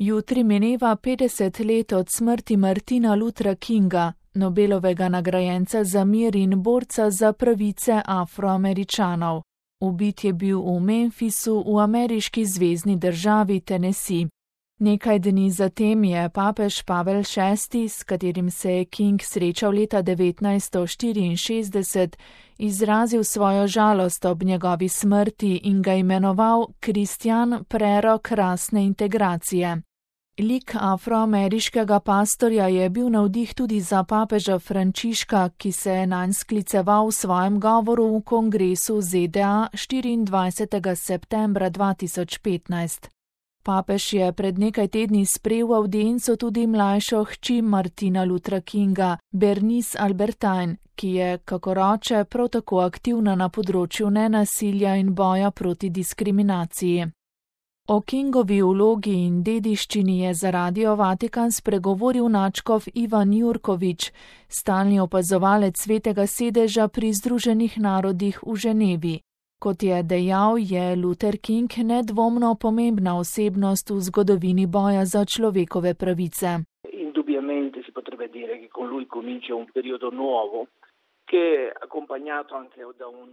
Jutri mineva 50 let od smrti Martina Luthera Kinga, Nobelovega nagrajenca za mir in borca za pravice Afroameričanov. Ubit je bil v Memphisu v ameriški zvezni državi Tennessee. Nekaj dni zatem je papež Pavel VI, s katerim se je King srečal leta 1964, izrazil svojo žalost ob njegovi smrti in ga imenoval kristjan prerok rasne integracije. Lik afroameriškega pastorja je bil navdih tudi za papeža Frančiška, ki se je nanj skliceval v svojem govoru v kongresu ZDA 24. septembra 2015. Papež je pred nekaj tedni sprejel v avdienco tudi mlajšo hči Martina Luthera Kinga, Bernice Albertine, ki je, kakor oče, prav tako aktivna na področju nenasilja in boja proti diskriminaciji. O Kingovi vlogi in dediščini je za Radio Vatikan spregovoril nadškof Ivan Jurkovič, stalni opazovalec Svetega sedeža pri Združenih narodih v Ženevi. Kot je dejal, je Luther King nedvomno pomembna osebnost v zgodovini boja za človekove pravice. Indubbiamente si potrebbe dire che con lui comincia un periodo nuovo.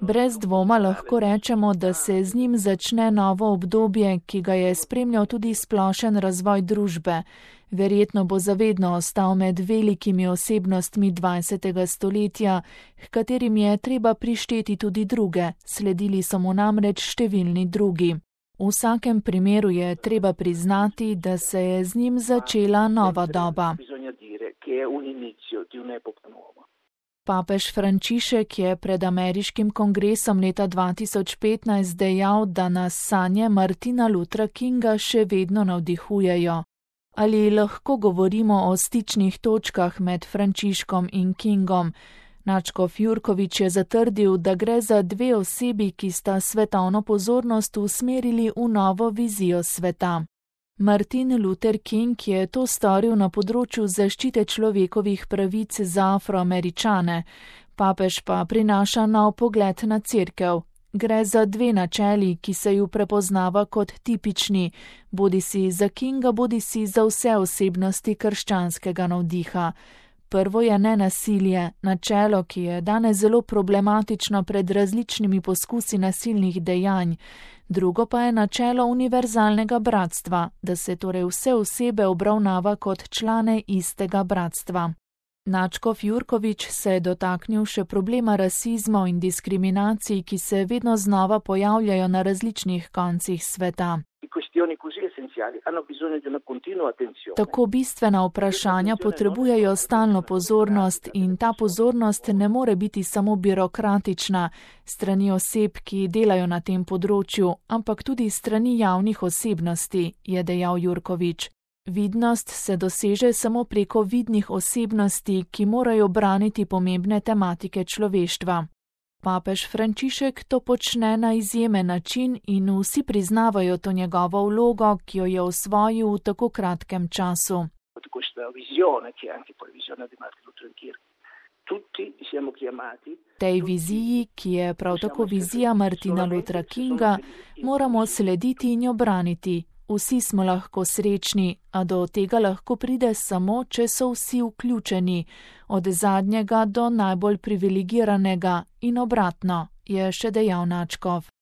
Brez dvoma lahko rečemo, da se z njim začne novo obdobje, ki ga je spremljal tudi splošen razvoj družbe. Verjetno bo zavedno ostal med velikimi osebnostmi 20. stoletja, h katerim je treba prišteti tudi druge, sledili so mu namreč številni drugi. V vsakem primeru je treba priznati, da se je z njim začela nova doba. Papež Frančišek je pred ameriškim kongresom leta 2015 dejal, da nas sanje Martina Luthera Kinga še vedno navdihujejo. Ali lahko govorimo o stičnih točkah med Frančiškom in Kingom? Nadškof Jurkovič je zatrdil, da gre za dve osebi, ki sta svetovno pozornost usmerili v novo vizijo sveta. Martin Luther King je to storil na področju zaščite človekovih pravic za Afroameričane, papež pa prinaša nov pogled na cerkev. Gre za dve načeli, ki se ju prepoznava kot tipični, bodisi za Kinga, bodisi za vse osebnosti krščanskega navdiha. Prvo je nenasilje, načelo, ki je danes zelo problematično pred različnimi poskusi nasilnih dejanj. Drugo pa je načelo univerzalnega bratstva, da se torej vse osebe obravnava kot člane istega bratstva. Nadškof Jurkovič se je dotaknil še problema rasizma in diskriminacij, ki se vedno znova pojavljajo na različnih koncih sveta. Tako bistvena vprašanja potrebujejo stalno pozornost in ta pozornost ne more biti samo birokratična, strani oseb, ki delajo na tem področju, ampak tudi strani javnih osebnosti, je dejal Jurkovič. Vidnost se doseže samo preko vidnih osebnosti, ki morajo braniti pomembne tematike človeštva. Papež Frančišek to počne na izjemen način in vsi priznavajo to njegovo vlogo, ki jo je osvojil v tako kratkem času. Tej viziji, ki je prav tako vizija Martina Luthera Kinga, moramo slediti in jo braniti. Vsi smo lahko srečni, a do tega lahko pride samo, če so vsi vključeni, od zadnjega do najbolj privilegiranega in obratno, je še dejal nadškof.